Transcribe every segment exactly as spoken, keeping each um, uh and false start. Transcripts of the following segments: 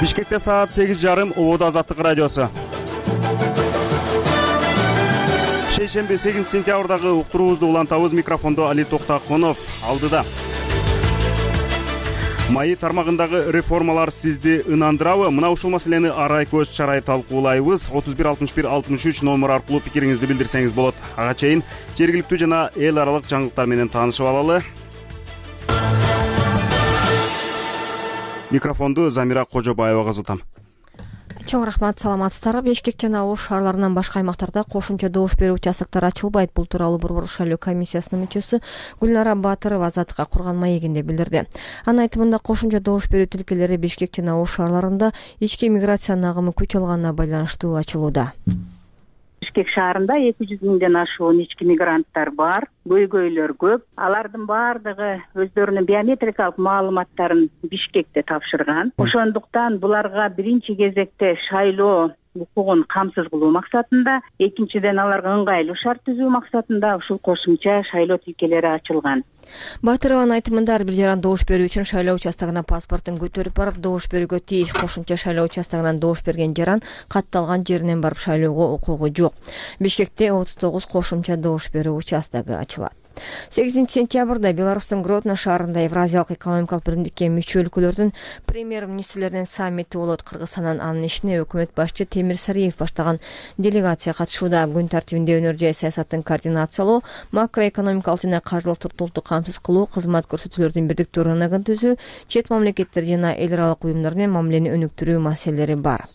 Бишкекте саат сегиз жарым, Ободо Азаттык радиосу. Шейшемби сегизинчи сентябрдагы уктуруубузду улантабыз. Микрофондо Али Токтакунов алдыда. Маи тармагындагы реформалар сизди ынандырабы? Мына ушул маселени арай көз чарай талкуулайбыз. отуз бир алтымыш бир алтымыш үч номер аркылуу пикириңизди билдирсеңиз болот. Ага чейин жергиликтүү жана эл аралык жаңылыктар менен таанышып алалы. Микрофонду Замира Кожобаевага узатам. Чоң рахмат, саламатсыздарбы? Бишкек жана Ош шаарларынан башка аймактарда кошумча добуш берүү участоктор ачылбайт. Бул тууралуу Борбор шайлоо комиссиясынын мүчөсү Гүлнара Батырова Азаттыкка курган маегинде билдирди. Анын айтымында кошумча добуш берүү тилкелери Бишкек жана Ош шаарларында ички миграциянын агымы күч алганына байланыштуу ачылууда. Бишкек шаарында эки жүз миңден ашуун ички мигранттар бар, көйгөйлөр көп. Алардын баардыгы өздөрүнүн биометрикалык маалыматтарын Бишкекте тапшырган. Ошондуктан буларга биринчи кезекте шайлоо укугун камсыз кылуу максатында, экинчиден аларга ыңгайлуу шарт түзүү максатында ушул кошумча шайлоо тилкелери ачылган. Батырованын айтымында ар бир жаран добуш берүү үчүн шайлоо участогуна паспортун көтөрүп барып добуш берүүгө тийиш. Кошумча шайлоо участогунан добуш берген жаран катталган жеринен барып шайлоого укугу жок. Бишкекте отуз тогуз кошумча добуш берүү участогу ачылат. сегизинчи сентябрда Беларустун Гродно шаарында Евразиялык экономикалык биримдикке мүчө өлкөлөрдүн премьер-министрлеринин саммити болот. Кыргызстандан анын ишине өкмөт башчы Темир Сариев баштаган делегация катышууда. Күн тартибинде өнөр жай саясатын координациялоо, макроэкономикалык жана каржылык туруктуулукту камсыз кылуу, кызмат көрсөтүүлөрдүн бирдиктүү рыногун түзүү, чет мамлекеттер жана эл аралык уюмдар менен мамилени өнүктүрүү маселелери бар.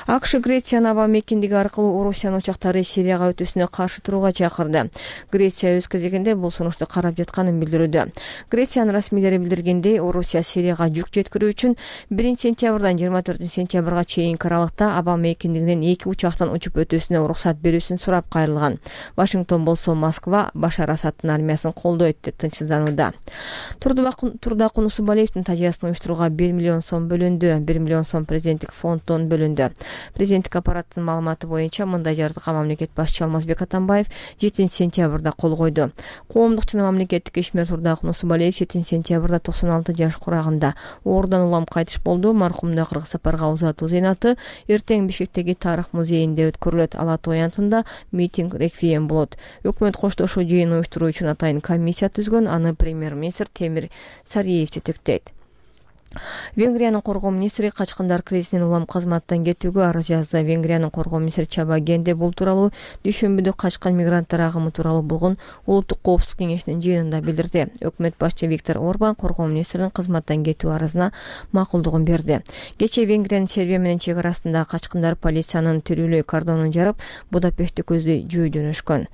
АКШ Грециянын аба мекендиги аркылуу Орусиянын учактары Сирияга өтүүсүнө каршы турууга чакырды. Греция өз кезегинде бул сунушту карап жатканын билдирүүдө. Грециянын расмийлери билдиргендей, Орусия Сирияга жүк жеткирүү үчүн биринчи сентябрдан жыйырма төртүнчү сентябрга чейинки аралыкта аба мекендигинен эки учактан учуп өтүүсүнө уруксат берүүсүн сурап кайрылган. Вашингтон болсо Москва Башар Асадтын армиясын колдойт деп тынчсызданууда. Турдак Унусубалиевдин тажыясын уюштурууга бир миллион сом бөлүндү. бир миллион сом президенттик фонддон бөлүндү. Президенттик аппараттын маалыматы боюнча мындай жардыга мамлекет башчы Алмазбек Атамбаев жетинчи сентябрда кол койду. Коомдук жана мамлекеттик ишмер Турдак Унусубалиев жетинчи сентябрда токсон алты жаш курагында оорудан улам кайтыш болду. Маркумду Кыргыз сапарга узатуу зыйнаты эртең Бишкектеги Тарых музейинде өткөрүлөт. Ала Той аянтында митинг реквием болот. Өкмөт коштошуу жыйын уюштуруу үчүн атайын комиссия түзгөн. Аны премьер-министр Темир Сариев жетектейт. Венгриянын коргоо министри качкындар кризисинен улам кызматтан кетүүгө арыз жазды. Венгриянын коргоо министри Чаба Генде бул тууралуу дүйшөмбүдө качкан мигранттар агымы тууралуу болгон улуттук коопсуздук кеңешинин жыйынында билдирди. Өкмөт башчы Виктор Орбан коргоо министринин кызматтан кетүү арызына макулдугун берди. Кечээ Венгриянын Сербия менен чек арасында качкындар полициянын тирүүлөй кордонун жарып, Будапештти көздөй жөө жөнөшкөн.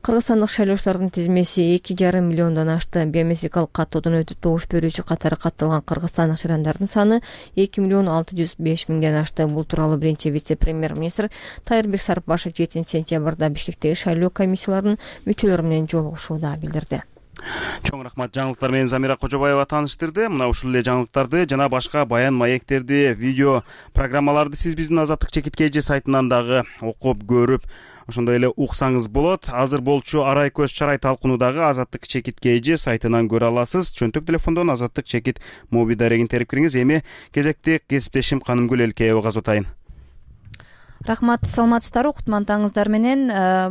Кыргызстандык шайлоочулардын тизмеси эки жарым миллиондон ашты. Биометрикалык каттоодон өтүп добуш берүүчү катары катталган Кыргызстандык жырандардын саны эки миллион алты жүз беш миңден ашты. Бул тууралуу биринчи вице-премьер-министр Тайырбек Сарыпбашев жетинчи сентябрда Бишкектеги шайлоо комиссияларынын мүчөлөрү менен жолугушууда билдирди. Чоң рахмат, жаңылыктар менен Замира Кожобаева тааныштырды. Мына ушул эле жаңылыктарды жана башка баян маектерди, видео программаларды сиз биздин Азаттык чекит кей же сайтынан дагы окуп көрүп, ошондой эле уксаңыз болот. Азыр болчу арай көз чарай талкуунудагы Азаттык чекит кей же сайтынан көрө аласыз. Чөнтөк телефондон Азаттык чекит моби дарегин терип кириңиз. Эми кезекти кесиптешим Канымгүл Элкеевага узатайын. Рахмат, саламатсыздарбы? Уктмантаңыздар менен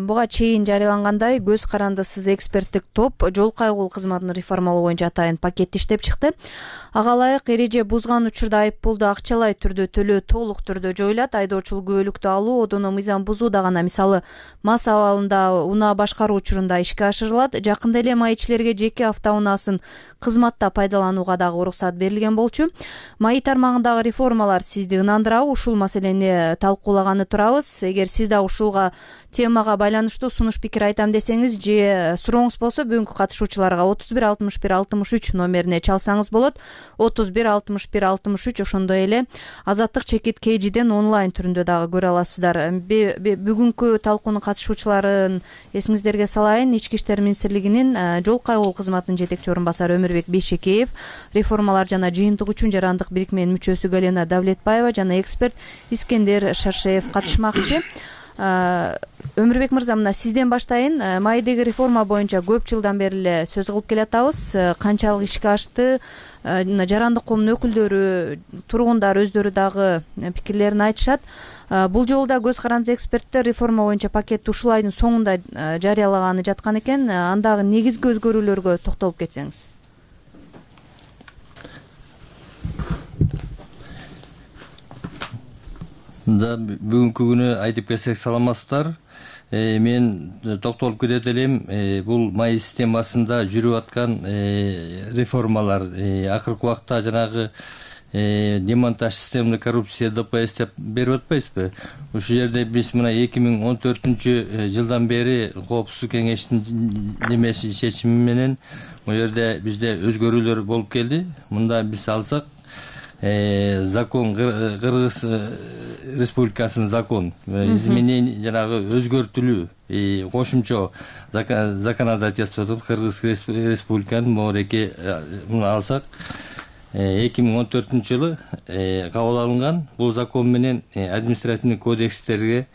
буга чейин жарыялангандай көз карандысыз эксперттик топ жол кайгыл кызматын реформалоо боюнча атайын пакет иштеп чыкты. Ага ылайык эреже бузган учурда айыппулду акчалай түрдө төлөө толук түрдө жоюлат. Айдоочулук күбөлүктү алуу, одоно мыйзам бузууда гана, мисалы мас абалында унаа башкаруу учурунда ишке ашырылат. Жакында эле майчилерге жеке автоунаасын кызматта пайдаланууга дагы уруксат берилген болчу. Маи тармагындагы реформалар сизди ынандырабы? Ушул маселени талкуулаган турабыз. Эгер сиз да ушулга темага байланыштуу сунуш пикир айтам десеңиз же сурооңуз болсо бүгүнкү катышуучуларга отуз бир алтымыш бир алтымыш үч номерине чалсаңыз болот. отуз бир алтымыш бир алтымыш үч. Ошондой эле Азаттык чекит кей жиден онлайн түрүндө дагы көрө аласыздар. Бүгүнкү талкуунун катышуучуларын эсиңиздерге салайын. Ички иштер министрлигинин жол кайгыл кызматынын жетекчи орун басары Өмүрбек Бейшекеев, реформалар жана жыйынтык үчүн жарандык бирикменин мүчөсү Галина Давлетбаева жана эксперт Искендер Шаршеев катышмакчы. Өмүрбек мырза, мына сизден баштайын. Маайдеги реформа боюнча көп жылдан бери эле сөз кылып келатабыз. Канчалык ишке ашты? Жарандык коомдун өкүлдөрү, тургундар өздөрү дагы пикирлерин айтышат. Бул жолу да көз карандысыз эксперттер реформа боюнча пакетти ушул айдын соңунда жарыялаганы жаткан экен. Андагы негизги өзгөрүүлөргө токтолуп кетсеңиз. Да, бүгүнкү күнү айтып келсек саламатсыздар. Мен токтолуп кетет элем, бул май системасында жүрүп аткан реформалар акыркы убакта жанагы демонтаж системный коррупция Д П С деп берип атпайсызбы? Ушул жерде биз мына эки миң он төртүнчү жылдан бери Коопсуздук кеңештин немеси чечими менен бул жерде бизде өзгөрүүлөр болуп келди. Мында биз алсак закон, Кыргыз Республикасынын закон изменение жанагы өзгөртүлүү кошумчо законодательство Кыргыз Республиканын моореке муну алсак эки миң он төртүнчү жылы кабыл алынган. Бул закон менен административный кодекстерге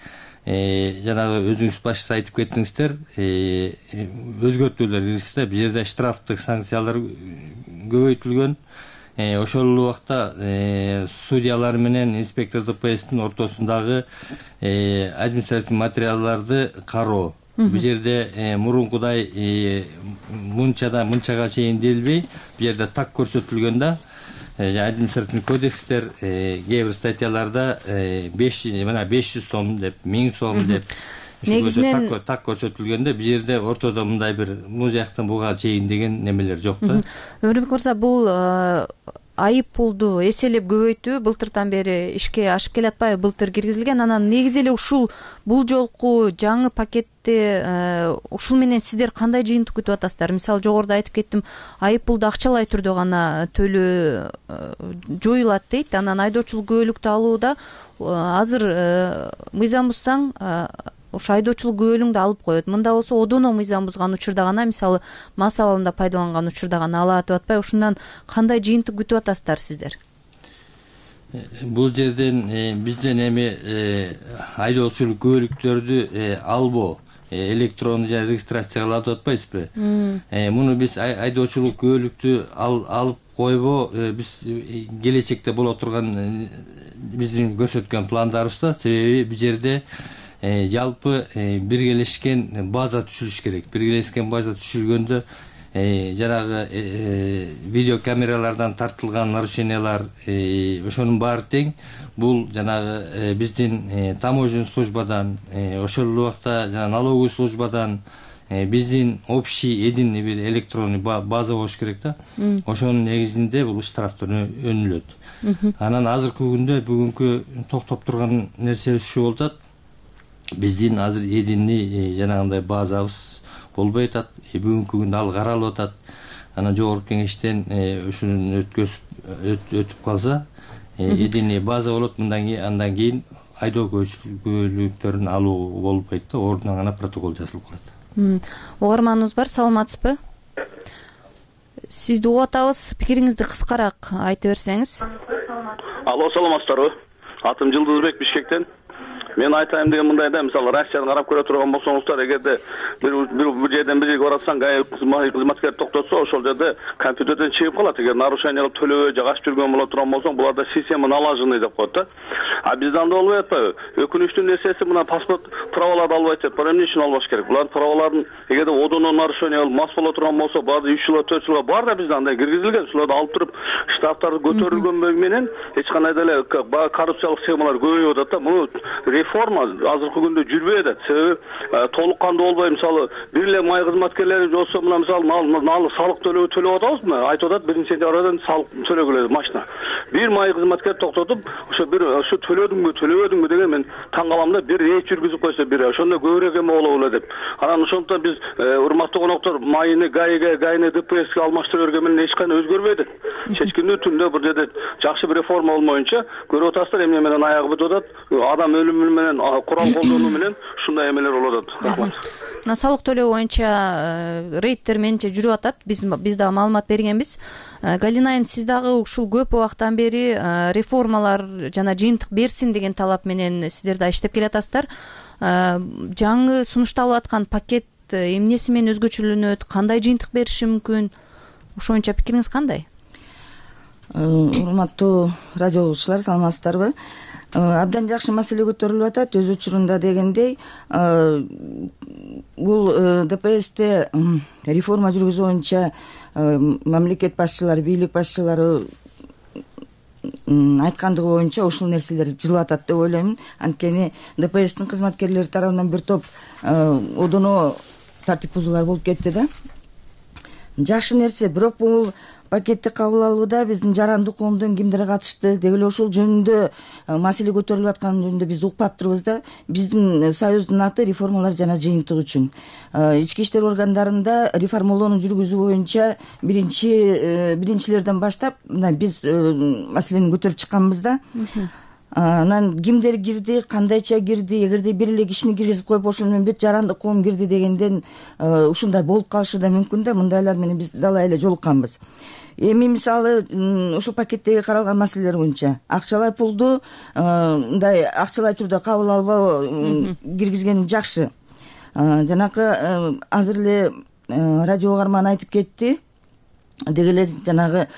жанагы өзүңүз башта айтып кеттиңиздер, өзгөртүүлөр киргизди. Бул жерде штрафтык санкциялар көбөйтүлгөн. Ошол убакта судьялар менен инспектор Д П Стин ортосундагы административдик материалдарды кароо. Бул жерде мурункудай мынчадан мынчага чейин делбей, бул жерде так көрсөтүлгөн да. Административдик кодекстер кээ бир статьяларда беш мына беш жүз сом деп, миң сом деп негизинен так көрсөтүлгөндө, бул жерде ортодо мындай бир бул жактан буга чейин деген немелер жок да. Өмүрбек мырза, бул айып пулду эселеп көбөйтүү былтыртан бери ишке ашып келатпайбы? Былтыр киргизилген. Анан негизи эле ушул бул жолку жаңы пакетти ушул менен сиздер кандай жыйынтык күтүп атасыздар? Мисалы, жогоруда айтып кеттим, айып пулду акчалай түрдө гана төлөө жоюлат дейт. Анан айдоочулук күбөлүктү алууда азыр мыйзам бузсаң ушу айдоочулук күбөлүңдү алып коет. Мында болсо одоно мыйзам бузган учурда гана, мисалы, мас абалында пайдаланган учурда гана алат деп атпайбы? Ушундан кандай жыйынтык күтүп атасыздар сиздер? Бул жерден бизден эми айдоочулук күбөлүктөрдү албоо, электрондуу жана регистрацияга алат деп атпайсызбы? Муну биз айдоочулук күбөлүктү алып койбоо биз келечекте боло турган биздин көрсөткөн пландарыбызда. Себеби бул жерде жалпы биргелешкен база түзүлүш керек. Биргелешкен база түзүлгөндө жанагы видеокамералардан тартылган нарушениялар ошонун баары тең. Бул жанагы биздин таможенный службадан, ошол убакта жана налоговый службадан биздин общий единый бир электронный база болуш керек да. Ошонун негизинде бул штрафтар өнүлөт. Анан азыркы күндө бүгүнкү токтоп турган нерсе ушул болуп атат. Биздин азыр единый жанагындай базабыз болбой атат. Бүгүнкү күндө ал каралып атат. Анан жогорку кеңештен ушуну өткөзүп өтүп калса, единый база болот. Мындан кийин андан кийин айдоо күбөлүктөрүн алуу болбойт да, ордуна гана протокол жазылып калат. Угарманыбыз бар, саламатсызбы? Сизди угуп атабыз, пикириңизди кыскараак айта берсеңиз. Алло, саламатсыздарбы? Атым Жылдызбек, Бишкектен. Мен айтайын деген мындай да, мисалы Россияны карап көрө турган болсоңуздар, эгерде бир бир жерден бир жерге баратсаң, кызматкер токтотсо, ошол жерде компьютерден чыгып калат. Эгер нарушение кылып төлөбөй же качып жүргөн боло турган болсоң, буларда система налаженный деп коет да. А бизде андай болбой атпайбы? Өкүнүчтүү нерсеси мына паспорт праволарды албайт деп бар. Эмне үчүн албаш керек? Булардын праволарын эгерде одоно нарушение кылып мас боло турган болсо, баары үч жылга, төрт жылга бар да бизде андай киргизилген. Шуларды алып туруп, штрафтарды көтөрүлгөн менен эч кандай деле коррупциялык схемалар көбөйүп атат да. Муну реформа азыркы күндө жүрбөй атат. Себеби толук кандуу болбой, мисалы, бир эле май кызматкерлери болсо, мына мисалы налык салык төлөө төлөп атабызбы? Айтып атат, биринчи сентябрдан салык төлөгүлө машина. Бир май кызматкер токтотуп, ошо бир ошо төлөдүңбү, төлөбөдүңбү деген мен таң калам да. Бир рейд жүргүзүп койсо, бир ошондо көбүрөөк эме болобу эле деп. Анан ошондуктан биз урматтуу коноктор, майыны ГАИге, ГАИны Д П Ске алмаштырып бергөн менен эч кандай өзгөрбөй атат. Чечкиндүү түндө бир жерде жакшы бир реформа болмоюнча көрүп атасыздар, эмне менен аягы бүтүп атат. Адам өлүмү менен, курал колдонуу менен ушундай эмелер болуп атат. Рахмат. Мына салык төлөө боюнча рейдтер менимче жүрүп атат. Биз биз дагы маалымат бергенбиз. Галина айым, сиз дагы ушул көп убактан бери реформалар жана жыйынтык берсин деген талап менен сиздер да иштеп келатасыздар. жаңы сунушталып аткан пакет эмнеси менен өзгөчөлөнөт, кандай жыйынтык бериши мүмкүн? Ошо боюнча пикириңиз кандай? Урматтуу радио угуучулар, саламатсыздарбы? Абдан жакшы маселе көтөрүлүп атат. Өз учурунда дегендей, бул ДПСте реформа жүргүзүү боюнча мамлекет башчылары, бийлик башчылары айткандыгы боюнча ушул нерселер жылып атат деп ойлоймун. Анткени ДПСтин кызматкерлери тарабынан бир топ одоно тартип бузуулар болуп кетти да. Жакшы нерсе, бирок бул пакетти кабыл алууда биздин жарандуу коомдун кимдери катышты, деги эле ушул жөнүндө маселе көтөрүлүп аткан жөнүндө биз укпаптырбыз да. Биздин союздун аты реформалар жана жыйынтык үчүн. Ички иштер органдарында реформалоону жүргүзүү боюнча биринчи биринчилерден баштап мына биз маселени көтөрүп чыкканбыз да. Анан кимдер кирди, кандайча кирди, эгерде бир эле кишини киргизип коюп ошол менен бүт жарандык коом кирди дегенден ушундай болуп калышы да мүмкүн да. Мындайлар менен биз далай эле жолукканбыз. Эми мисалы ушул пакеттеги каралган маселелер боюнча акчалай пулду мындай акчалай түрдө кабыл албоо киргизген жакшы. Жанакы азыр эле радио угарман айтып кетти. Деги эле жанагы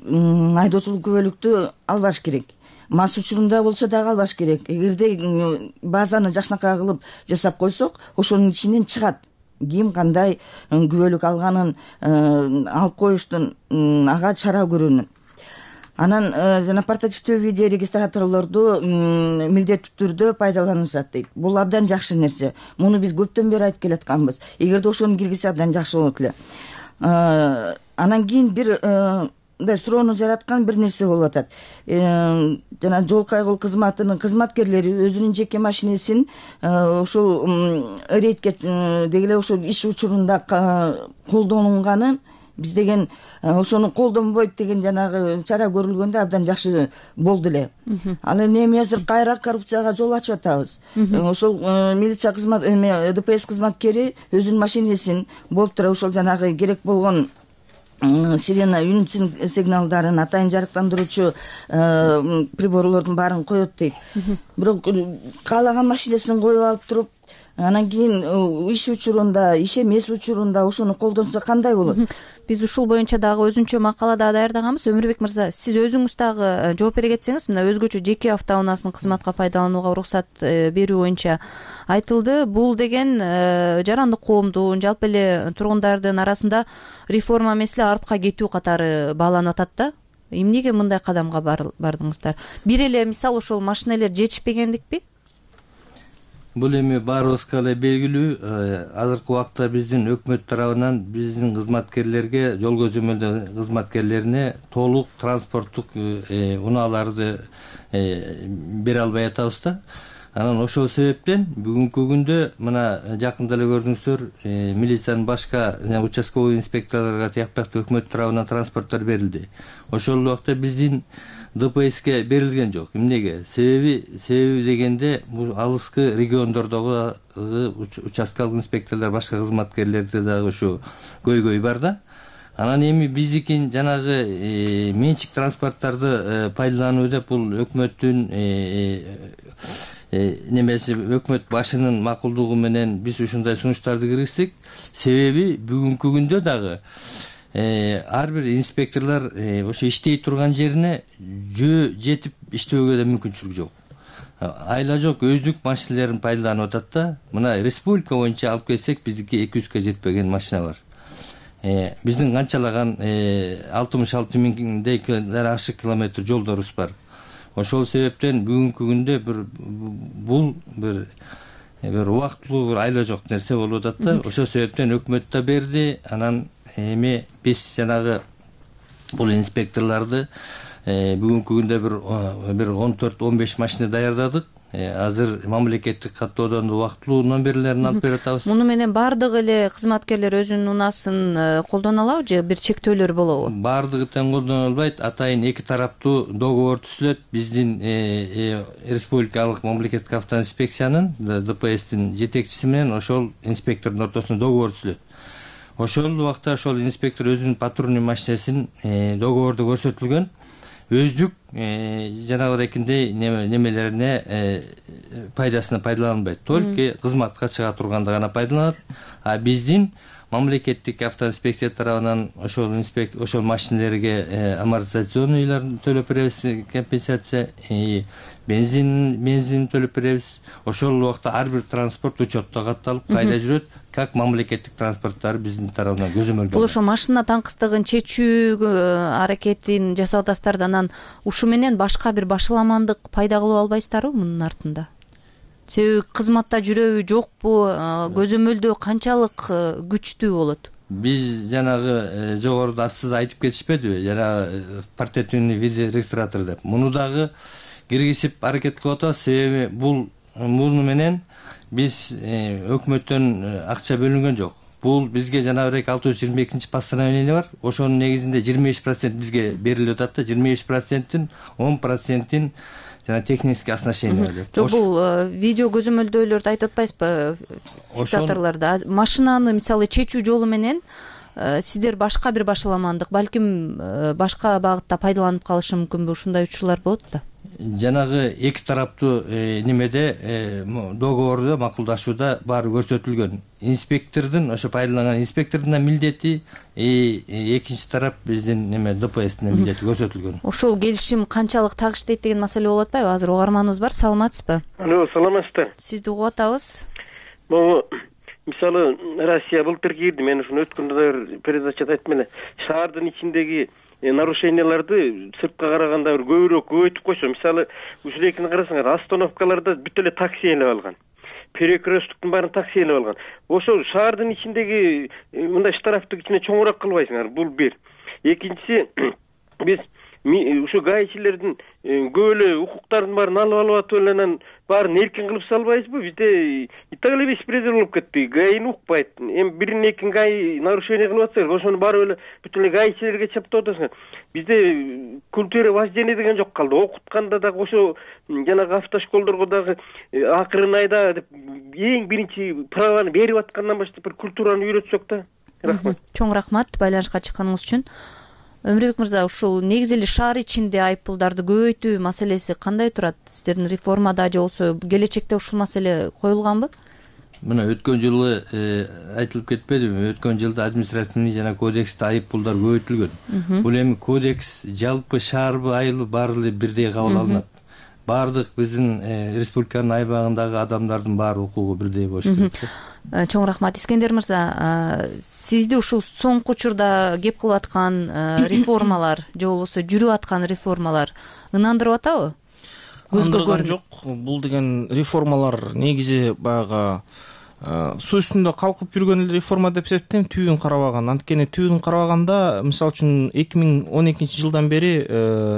айдоочулук күбөлүктү албаш керек. Мас учурунда болсо дагы албаш керек. Эгерде базаны жакшынакай кылып жасап койсок, ошонун ичинен чыгат ким кандай күбөлүк алганын алып коюштун, ага чара көрүүнүн. Анан жана портативдүү видео регистраторлорду милдеттүү түрдө пайдаланышат дейт. Бул абдан жакшы нерсе. Муну биз көптөн бери айтып келатканбыз. Эгерде ошону киргизсе абдан жакшы болот эле. Анан кийин бир мындай суроону жараткан бир нерсе болуп атат. Жана жол кайгылуу кызматынын кызматкерлери өзүнүн жеке машинесин ушул рейдке деги эле ошол иш учурунда колдонулганын биз деген ошону колдонбойт деген жанагы чара көрүлгөндө абдан жакшы болду эле. Ал эми азыр кайра коррупцияга жол ачып атабыз. Ошол милиция кызмат ДПС кызматкери өзүнүн машинесин болуп тура ошол жанагы керек болгон сирена үн сигналдарын, атайын жарыктандыруучу приборлордун баарын коет дейт. Бирок каалаган машинесин коюп алып туруп, анан кийин иш учурунда, иш эмес учурунда ошону колдонсо кандай болот? Биз ушул боюнча дагы өзүнчө макала да даярдаганбыз. Өмүрбек мырза, сиз өзүңүз дагы жооп бере кетсеңиз, мына өзгөчө жеке автоунаасын кызматка пайдаланууга уруксат берүү боюнча айтылды. Бул деген жарандык коомдун, жалпы эле тургундардын арасында реформа эмес эле артка кетүү катары бааланып атат да. Эмнеге мындай кадамга бардыңыздар? Бир эле мисал ошол машинелер жетишпегендикпи? Бул эми баарыбызга эле белгилүү. Азыркы убакта биздин өкмөт тарабынан биздин кызматкерлерге, жол көзөмөлдөө кызматкерлерине толук транспорттук унааларды бере албай атабыз да. Анан ошол себептен бүгүнкү күндө мына жакында эле көрдүңүздөр, милициянын башка участковый инспекторлорго тияктактуу өкмөт тарабынан транспорттор берилди. Ошол убакта биздин ДПСке берилген жок. Эмнеге? Себеби себеби дегенде бул алыскы региондордогу участкалык инспекторлор, башка кызматкерлерде дагы ушу көйгөй бар да. Анан эми биздикин жанагы менчик транспорттарды пайдалануу деп бул өкмөттүн немеси, өкмөт башынын макулдугу менен биз ушундай сунуштарды киргиздик. Себеби бүгүнкү күндө дагы ар бир инспекторлор ошо иштей турган жерине жөө жетип иштөөгө да мүмкүнчүлүк жок. Айла жок өздүк машинелерин пайдаланып атат да. Мына республика боюнча алып келсек, биздики эки жүзгө жетпеген машина бар. Биздин канчалаган алтымыш алты миңдей ашык километр жолдорубуз бар. Ошол себептен бүгүнкү күндө бир бул бир бир убактылуу бир айла жок нерсе болуп атат да. Ошол себептен өкмөт да берди. Анан эми биз жанагы бул инспекторлорду бүгүнкү күндө бир бир он төрт он беш машина даярдадык. Азыр мамлекеттик каттоодон убактылуу номерлерин алып берип атабыз. Муну менен баардык эле кызматкерлер өзүнүн унаасын колдоно алабы же бир чектөөлөр болобу? Баардыгы тең колдоно албайт. Атайын эки тараптуу договор түзүлөт. Биздин республикалык мамлекеттик автоинспекциянын ДПСтин жетекчиси менен ошол инспектордун ортосунда договор түзүлөт. Ошол убакта ошол инспектор өзүнүн патрульный машинесин договордо көрсөтүлгөн өздүк жанагындай немелерине пайдасына пайдаланбайт, только кызматка чыга турганда гана пайдаланат. А биздин мамлекеттик автоинспекция тарабынан ошол инспек ошол машинелерге амортизационныйларын төлөп беребиз, компенсация, бензин бензин төлөп беребиз. Ошол убакта ар бир транспорт учетто катталып кайда жүрөт, как мамлекеттик транспорттар биздин тарабынан көзөмөлдөнөт. Бул ошо машина таңкыстыгын чечүү аракетин жасап атасыздар да, анан ушу менен башка бир башаламандык пайда кылып албайсыздарбы мунун артында? Себеби кызматта жүрөбү, жокпу, көзөмөлдөө канчалык күчтүү болот? Биз жанагы жогоруда астыда айтып кетишпедиби, жанагы портретный видеорегистратор деп. Муну дагы киргизип аракет кылып атабыз, себеби бул муну менен биз өкмөттөн акча бөлүнгөн жок. Бул бизге жана бир алты жүз жыйырма экинчи постановление бар. Ошонун негизинде жыйырма беш процент бизге берилип атат да, жыйырма беш проценттин он процентин жана технический оснащение деп. Жок, бул видео көзөмөлдөөлөрдү айтып атпайсызбы? Фиксаторлордо машинаны мисалы чечүү жолу менен сиздер башка бир башаламандык, балким башка багытта пайдаланып калышы мүмкүнбү? Ушундай учурлар болот да. Жанагы эки тараптуу немеде договордо макулдашууда баары көрсөтүлгөн. Инспектордун, ошо пайдаланган инспектордун милдети, экинчи тарап биздин неме ДПСтин милдети көрсөтүлгөн. Ошол келишим канчалык такыштайт деген маселе болуп атпайбы? Азыр угарманыбыз бар, саламатсызбы? Алло, саламатсыздар. Сизди угуп атабыз. Могу мисалы Россия былтыр кирди, мен ушуну өткөндө передачада айттым эле. Шаардын ичиндеги нарушенияларды сыртка караганда бир көбүрөөк көбөйтүп койсо, мисалы ушул экини карасаңар, остановкаларда бүт эле такси ээлеп алган, перекресттуктун баарын такси ээлеп алган. Ошол шаардын ичиндеги мындай штрафты кичине чоңураак кылбайсыңар, бул бир. Экинчиси, биз ушу гаишилердин көп эле укуктарын баарын алып алып атып эле анан баарын эркин кылып салбайбызбы? Бизде и так эле беспредел болуп кетти. Гаини укпайт. Эми бирин экин гаи нарушение кылып атса, ошону барып эле бүт эле гаишилерге чаптап атасыңар. Бизде культура вождения деген жок калды. Окутканда дагы ошо жанагы автошколдорго дагы акырын айда деп эң биринчи праваны берип аткандан баштап бир культураны үйрөтсөк да. Рахмат. Чоң рахмат байланышка чыкканыңыз үчүн. Өмүрбек мырза, ушул негизи эле шаар ичинде айыппулдарды көбөйтүү маселеси кандай турат? Сиздердин реформада же болбосо келечекте ушул маселе коюлганбы? Мына өткөн жылы айтылып кетпедиби? Өткөн жылда административный жана кодексте айыппулдар көбөйтүлгөн. Бул эми кодекс жалпы шаарбы, айылбы баары эле бирдей кабыл алынат. Баардык биздин республиканын айбагындагы адамдардын баары укугу бирдей болуш керек. Чоң рахмат. Искендер мырза, сизди ушул соңку учурда кеп кылып аткан реформалар же болбосо жүрүп аткан реформалар ынандырып атабы? Ынандырган жок. Бул деген реформалар негизи баягы суу үстүндө калкып жүргөн эле реформа деп эсептейм, түбүн карабаган. Анткени түбүн карабаганда, мисалы үчүн эки миң он экинчи жылдан бери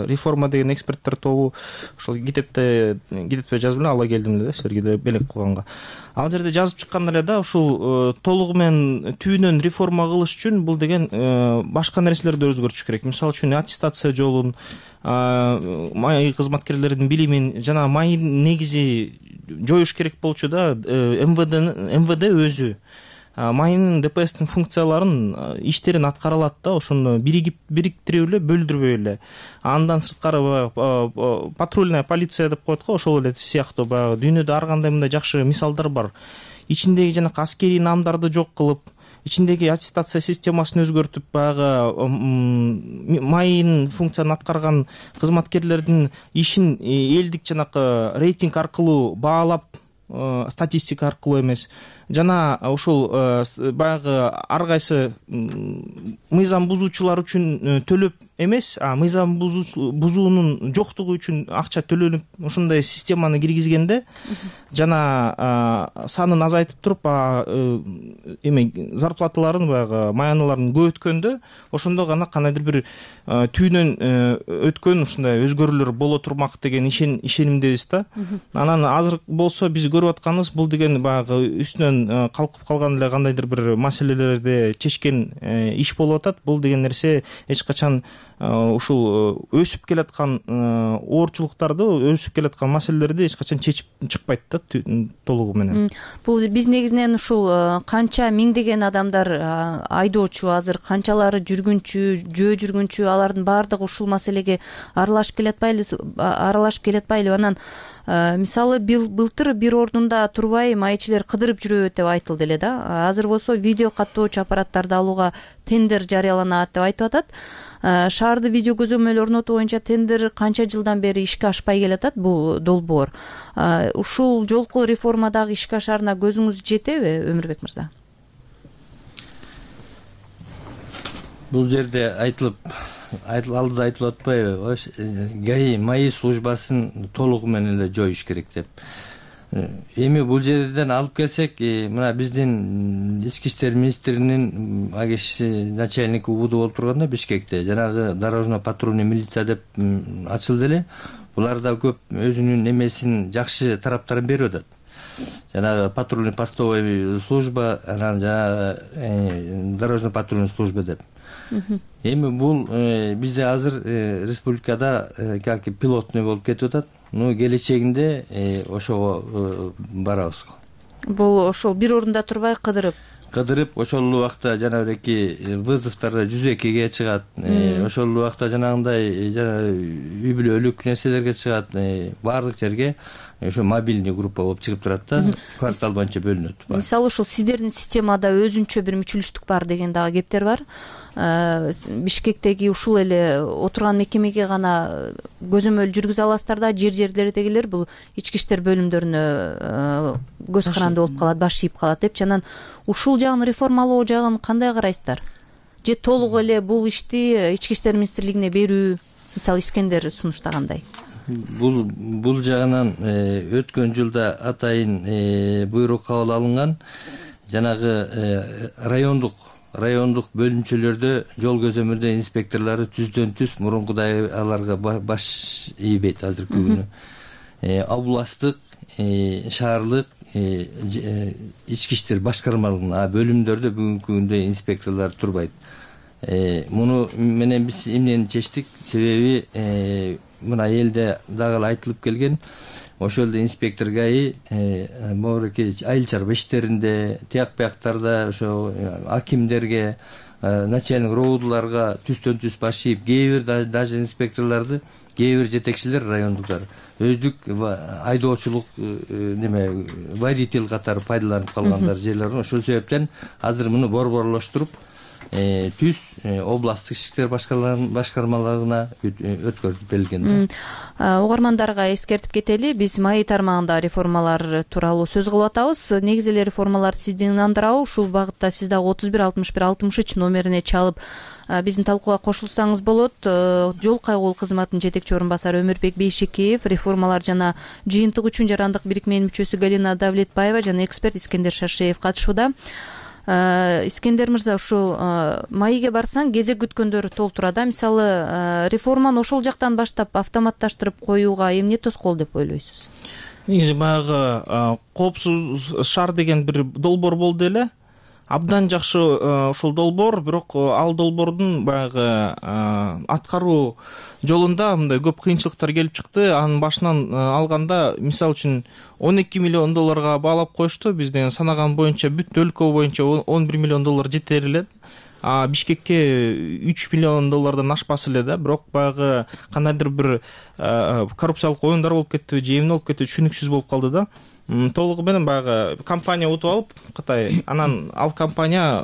реформа деген эксперттер тобу ошол китепте китепте жазып эле ала келдим эле силерге белек кылганга. Ал жерде жазып чыккан эле да, ушул толугу менен түбүнөн реформа кылыш үчүн бул деген башка нерселерди өзгөртүш керек. Мисалы үчүн аттестация жолун, май кызматкерлердин билимин жана майын негизи жоюш керек болчу да. МВД өзү майынын ДПСтин функцияларын, иштерин аткара алат да, ошону бириктирип эле, бөлдүрбөй эле. Андан сырткары патрульная полиция деп коет го, ошол эле сыяктуу баягы дүйнөдө ар кандай мындай жакшы мисалдар бар. Ичиндеги жанакы аскерий наамдарды жок кылып, ичиндеги аттестация системасын өзгөртүп, баягы майын функцияны аткарган кызматкерлердин ишин элдик жанакы рейтинг аркылуу баалап, статистика аркылуу эмес, жана ушул баягы ар кайсы мыйзам бузуучулар үчүн төлөп эмес, а мыйзам бузуунун жоктугу үчүн акча төлөнүп, ошондой системаны киргизгенде жана санын азайтып туруп, эме зарплаталарын, баягы маяныларын көбөткөндө, ошондо гана кандайдыр бир түйүнөн өткөн ушундай өзгөрүүлөр боло турмак деген ишенимдебиз да. Анан азыр болсо биз көрүп атканыбыз, бул деген баягы үстүнөн бүгүн калкып калган эле кандайдыр бир маселелерди чечкен иш болуп атат. Бул деген нерсе эч качан ушул өсүп келаткан оорчулуктарды, өсүп келаткан маселелерди эч качан чечип чыкпайт да толугу менен. Бул биз негизинен ушул канча миңдеген адамдар айдоочу, азыр канчалары жүргүнчү, жөө жүргүнчү, алардын баардыгы ушул маселеге аралашып келатпайлы, аралашып келатпайлы. Анан мисалы былтыр бир ордунда турбай маекчилер кыдырып жүрөбүт деп айтылды эле да. Азыр болсо видео каттоочу аппараттарды алууга тендер жарыяланат деп айтып атат. Шаарды видео көзөмөл орнотуу боюнча тендер канча жылдан бери ишке ашпай келатат бул долбоор. Ушул жолку реформадагы ишке ашаарына көзүңүз жетеби, Өмүрбек мырза? Бул жерде айтылып алдыда айтылып атпайбы, ГАИ маи службасын толугу менен эле жоюш керек деп. Эми бул жерден алып келсек, мына биздин ички иштер министринин агеш начальники убуду болуп турганда Бишкекте жанагы дорожно патрульный милиция деп ачылды эле. Булар да көп өзүнүн немесин, жакшы тараптарын берип атат. Жанагы патрульный постовой служба, анан жанагы дорожно патрульный служба деп. Эми бул бизде азыр республикада как пилотный болуп кетип атат. Ну, келечегинде ошого барабыз. Бул ошол бир орунда турбай кыдырып кыдырып ошол убакта жанагы вызовдор жүз экиге чыгат. Ошол убакта жанагындай жана үй бүлөлүк нерселерге чыгат. Баардык жерге ошо мобильный группа болуп чыгып турат да, квартал боюнча бөлүнөт. Мисалы ушул сиздердин системада өзүнчө бир мүчүлүштүк бар деген дагы кептер бар. Бишкектеги ушул эле отурган мекемеге гана көзөмөл жүргүзө аласыздар да, жер жерлердегилер бул ички иштер бөлүмдөрүнө көз каранды болуп калат, баш ийип калат депчи. Анан ушул жагын реформалоо жагын кандай карайсыздар? Же толук эле бул ишти ички иштер министрлигине берүү, мисалы Искендер сунуштагандай? Бул бул жагынан өткөн жылда атайын буйрук кабыл алынган. Жанагы райондук райондук бөлүмчөлөрдө жол көзөмөлдөө инспекторлору түздөн түз мурункудай аларга баш ийбейт азыркы күнү. Областтык, шаарлык ички иштер башкармалыгына бөлүмдөрдө бүгүнкү күндө инспекторлор турбайт. Муну менен биз эмнени чечтик? Себеби мына элде дагы айтылып келген, ошол эле инспектор ГАИ могуреки айыл чарба иштеринде, тияк бияктарда ошо акимдерге, начальник роудуларга түздөн түз баш ийип, кээ бир даже инспекторлорду, кээ бир жетекчилер райондуктар өздүк айдоочулук неме водитель катары пайдаланып калгандар жерлер. Ошол себептен азыр муну борборлоштуруп түз областтык иштер башкармалыгына өткөрүлүп берилген. Угармандарга эскертип кетели, биз маи тармагында реформалар тууралуу сөз кылып атабыз. Негизи эле реформалар сизди ынандырабы? Ушул багытта сиз дагы отуз бир алтымыш бир алтымыш үч номерине чалып биздин талкууга кошулсаңыз болот. Жол кайгуул кызматынын жетекчи орун басары Өмүрбек Бейшекеев, реформалар жана жыйынтык үчүн жарандык бирикменин мүчөсү Галина Давлетбаева жана эксперт Искендер Шашеев катышууда. Искендер мырза, ушул маиге барсаң кезек күткөндөр толтура да. Мисалы, реформаны ошол жактан баштап автоматташтырып коюуга эмне тоскоол деп ойлойсуз? Негизи баягы коопсуз шаар деген бир долбоор болду эле. Абдан жакшы ушул долбоор, бирок ал долбоордун баягы аткаруу жолунда мындай көп кыйынчылыктар келип чыкты. Анын башынан алганда, мисалы үчүн он эки миллион долларга баалап коюшту. Биз деген санаган боюнча бүт өлкө боюнча он бир миллион доллар жетер эле. А Бишкекке үч миллион доллардан ашпас эле да. Бирок баягы кандайдыр бир коррупциялык оюндар болуп кетти, же эмне болуп кетти, түшүнүксүз болуп калды да. Толугу менен баягы компания утуп алып Кытай, анан ал компания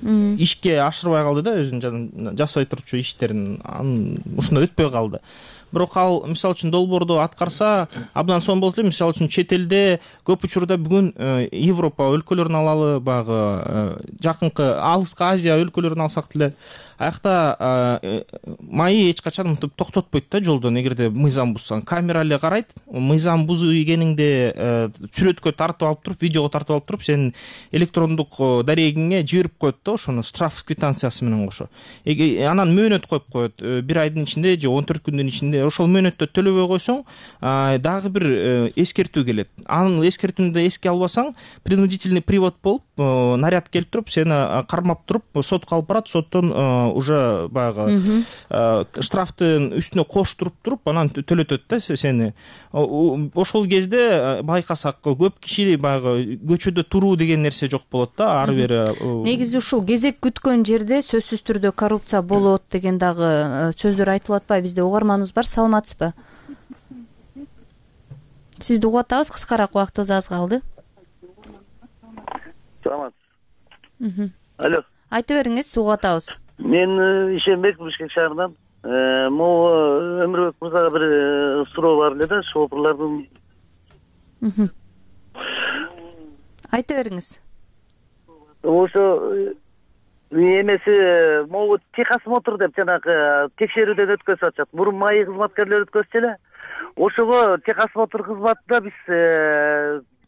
ишке ашырбай калды да, өзүнүн жасай турчу иштерин. Ушундай өтпөй калды. Бирок ал мисалы үчүн долбоорду аткарса абдан сонун болот эле. Мисалы үчүн чет элде көп учурда бүгүн Европа өлкөлөрүн алалы, баягы жакынкы алыскы Азия өлкөлөрүн алсак деле, аякта маи эч качан мынтип токтотпойт да жолдон. Эгерде мыйзам бузсаң, камера эле карайт. Мыйзам бузуу экениңди сүрөткө тартып алып туруп, видеого тартып алып туруп, сенин электрондук дарегиңе жиберип коет да, ошону штраф квитанциясы менен кошо. Анан мөөнөт коюп коет. Бир айдын ичинде же он төрт күндүн ичинде ошол мөөнөттө төлөбөй койсоң дагы бир эскертүү келет. Анын эскертүүнү да эске албасаң, принудительный привод болуп наряд келип туруп сени кармап туруп сотко алып барат. Соттон уже баягы штрафтын үстүнө коштуруп туруп анан төлөтөт да сени. Ошол кезде байкасак көп киши баягы көчөдө туруу деген нерсе жок болот да. Ары бери негизи ушул кезек күткөн жерде сөзсүз түрдө коррупция болот деген дагы сөздөр айтылып атпайбы? Бизде угарманыбыз бар, саламатсызбы? Сизди угуп атабыз, кыскараак убактыбыз аз калды. Саламатсыз. Алло. Айта бериңиз, угуп атабыз. Мен Ишенбек, Бишкек шаарынан. Могу Өмүрбек мырзага бир суроо бар эле да, шопурлардын. Айта бериңиз. Ошо эмеси могу техосмотр деп жанагы текшерүүдөн өткөзүп атышат. Мурун маи кызматкерлери өткөзчү эле. Ошого техосмотр кызматында биз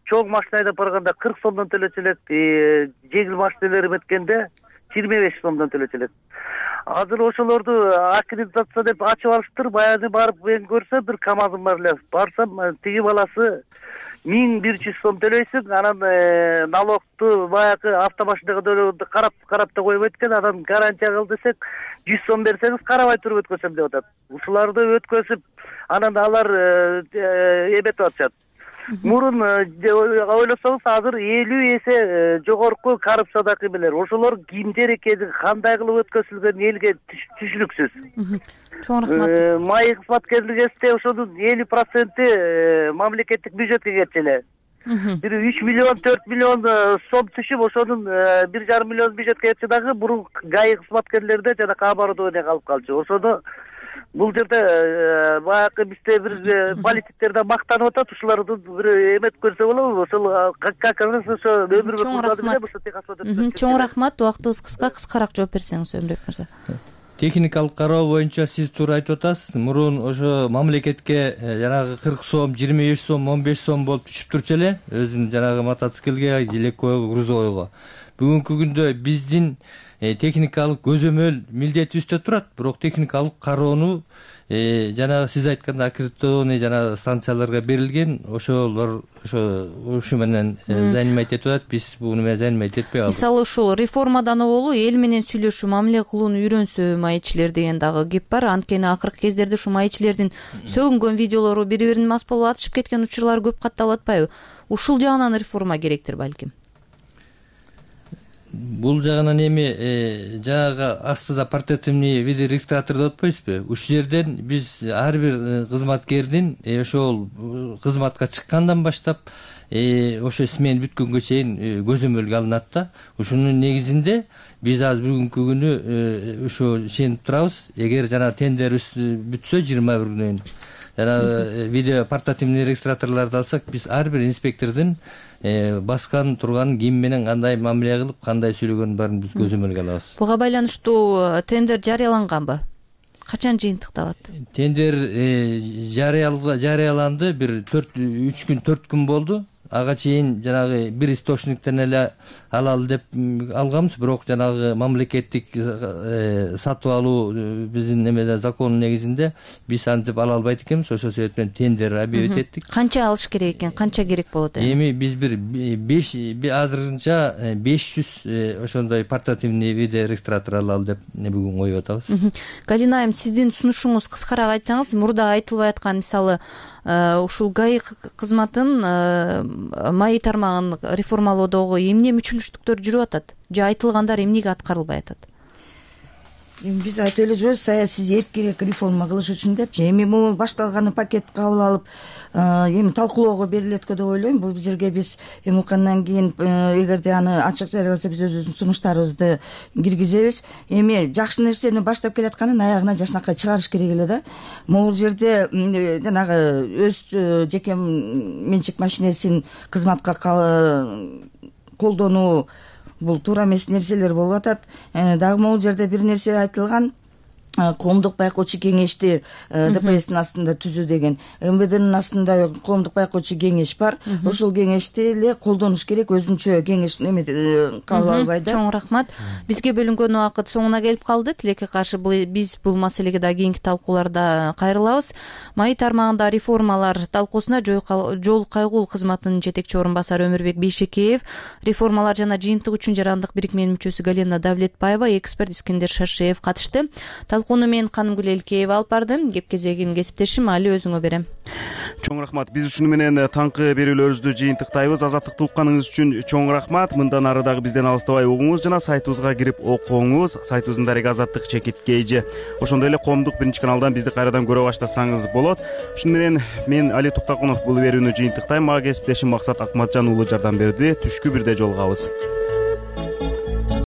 чоң машина айдап барганда кырк сомдон төлөчү элек, жеңил машиналар эметкенде жыйырма беш сомдон төлөчү элек. Азыр ошолорду аккредитация деп ачып алыштыр. Баягы барып мен көрсөм, бир КамАЗым бар эле. Барсам, тиги баласы миң бир жүз сом төлөйсүң, анан налогту баягы автомашинага төлөгөндө карап карап да койбойт экен. Анан гарантия кыл десек, жүз сом берсеңиз карабай туруп өткөзөм деп атат. Ушуларды өткөзүп, анан алар эметип атышат. Мурун ойлосоңуз, азыр элүү эсе жогорку коррупция кыймылар. Ошолор кимдер экени, кандай кылып өткөзүлгөн элге түшүнүксүз. Чоң рахмат. Маи кызматкерлигибизде ошонун элүү проценти мамлекеттик бюджетке кетчү эле. Бир үч миллион, төрт миллион сом түшүп, ошонун бир жарым миллион бюджетке кетчү дагы мурун ГАИ кызматкерлерде жана оборудование калып калчу. Ошону бул жерде баягы бизде бир политиктерден мактанып атат, ушуларды бир эмет көрсө болобу? Ошол как раз ошо Өмүрбек мырза менен ошо техосмотр. Чоң рахмат. Убактыбыз кыска, кыскараак жооп берсеңиз Өмүрбек мырза. Техникалык кароо боюнча сиз туура айтып атасыз. Мурун ошо мамлекетке жанагы кырк сом, жыйырма беш сом, он беш сом болуп түшүп турчу эле, өзүнүн жанагы мотоциклге, желеккойго, грузовойго. Бүгүнкү күндө биздин техникалык көзөмөл милдетибизде турат, бирок техникалык кароону жана сиз айткандай аккредитованный жана станцияларга берилген, ошолор ошо ушу менен занимать этип атат. Биз буну менен занимать этпей калдык. Мисалы ушул реформадан оболу эл менен сүйлөшүү, мамиле кылууну үйрөнсө маекчилер деген дагы кеп бар. Анткени акыркы кездерде ушу маекчилердин сөгүнгөн видеолору бири бирин мас болуп атышып кеткен учурлар көп катталып атпайбы? Ушул жагынан реформа керектир балким. Бул жагынан эми жанагы астыда портативный видеорегистратор деп атпайсызбы? Ушул жерден биз ар бир кызматкердин ошол кызматка чыккандан баштап ошо смен бүткөнгө чейин көзөмөлгө алынат да. Ушунун негизинде биз азыр бүгүнкү күнү ошо ишенип турабыз. Эгер жана тендер бүтсө жыйырма бир күнөн жанагы видео портативный регистраторлорду алсак, биз ар бир инспектордун баскан турган ким менен кандай мамиле кылып, кандай сүйлөгөнүн баарын биз көзөмөлгө алабыз. Буга байланыштуу тендер жарыяланганбы? Качан жыйынтыкталат? Тендер жарыяланды, бир үч күн, төрт күн болду. Ага чейин жанагы бир источниктен эле алалы деп алганбыз, бирок жанагы мамлекеттик сатып алуу биздин эмеде закондун негизинде биз антип ала албайт экенбиз. Ошол себептен тендер объявить эттик. Канча алыш керек экен? Канча керек болот эми? Эми биз бир беш азырынча беш жүз ошондой портативный видеорегистратор алалы деп бүгүн коюп атабыз. Галина айым, сиздин сунушуңуз кыскараак айтсаңыз, мурда айтылбай аткан мисалы ушул ГАИ кызматын маи тармагын реформалоодогу эмне мүчүлүштүктөр жүрүп атат? Же айтылгандар эмнеге аткарылбай атат? Эми биз айтып эле жүрөбүз, саясий эркирээк реформа кылыш үчүн депчи. Эми могу башталган пакет кабыл алып, эми талкуулоого берилет деп ойлойм. Бул жерге биз эми уккандан кийин эгерде аны ачык жарыяласа биз өзүбүздүн сунуштарыбызды киргизебиз. Эми жакшы нерсени баштап келатканын аягына жакшынакай чыгарыш керек эле да. Могул жерде жанагы өз жеке менчик машинесин кызматка колдонуу бул туура эмес нерселер болуп атат. Дагы могул жерде бир нерсе айтылган. коомдук байкоочу кеңешти ДПСтин астында түзүү деген МВДнин астында коомдук байкоочу кеңеш бар. Ошол кеңешти эле колдонуш керек, өзүнчө кеңеш эме кабыл албай да. Чоң рахмат. Бизге бөлүнгөн убакыт соңуна келип калды. Тилекке каршы биз бул маселеге да кийинки талкууларда кайрылабыз. Маи тармагында реформалар талкуусуна жол кайгул кызматынын жетекчи орун басары Өмүрбек Бейшекеев, реформалар жана жыйынтык үчүн жарандык бирикменин мүчөсү Галина Давлетбаева, эксперт Искендер Шаршеев катышты. Талкууну мен Канымгүл Элкеева алып бардым. Кеп кезегин кесиптешим Али өзүңө берем. Чоң рахмат. Биз ушуну менен таңкы берүүлөрүбүздү жыйынтыктайбыз. Азаттыкты укканыңыз үчүн чоң рахмат. Мындан ары дагы бизден алыстабай угуңуз жана сайтыбызга кирип окуңуз. Сайтыбыздын дареги азаттык чекит kg. Ошондой эле коомдук биринчи каналдан бизди кайрадан көрө баштасаңыз болот. Ушуну менен мен Али Туктакунов бул берүүнү жыйынтыктайм. Мага кесиптешим Максат Акматжан уулу жардам берди. Түшкү бирде жолугабыз.